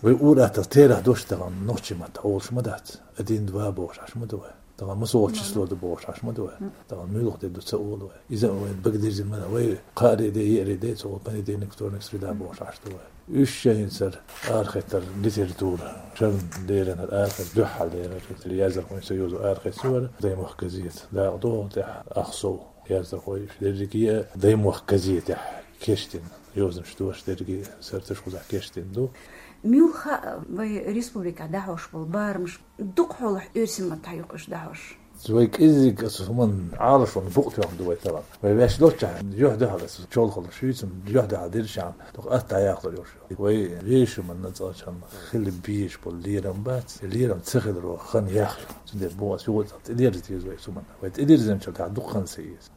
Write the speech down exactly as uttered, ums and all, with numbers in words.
Вай ур-аттагӀа терахь дош тахана нохчийн маттахь олуш ма дац. Один, два бохуш Ӏаш ма ду вай. Тахана масса волчу число ду бохуш Ӏаш ма ду вай. Тахана муьлха де ду ца олу вай. Иза вай бага дирзина ма ду вай. Кхаари де, еари де, цо понедельник, вторник, среда бохуш Ӏаш ду вай. Уьш шайна сара арахӀиттар литература, шарна леррина арахӀиттар, дуьххьал леррина, яздархойн союзо арахӀиттар, Даймохк газета. Дакъа догӀу тӀехь ах сов яздархой, дерриге а Даймохк газетехь кечдина. Йозанаш дош дерриге сара таш кхузахь кечдина ду. Муьлха вай республикехь дӀахьош болу барамаш дукха хьолахь оьрсийн маттахь юкъаш дӀахьош? Вай кӀеззиг аса хӀуманна Ӏалашонна букъ тоьхна ду вай талам. Вай ваьш доцчахь, юьхь-дуьхьал аса чолхалла шуьйцам, юьхь-дуьхьал диршахьа, дукха атта яхлар йолуш. Вай вешан манна цӀалчхьана хила безаш болу лерам бац, лерам ца хиларо хан яхлар. Цундела боху аса юкъа тӀедерза деза вай цу манна. Вай тӀедерзинчул тӀаьхьа дукха хан ца еза.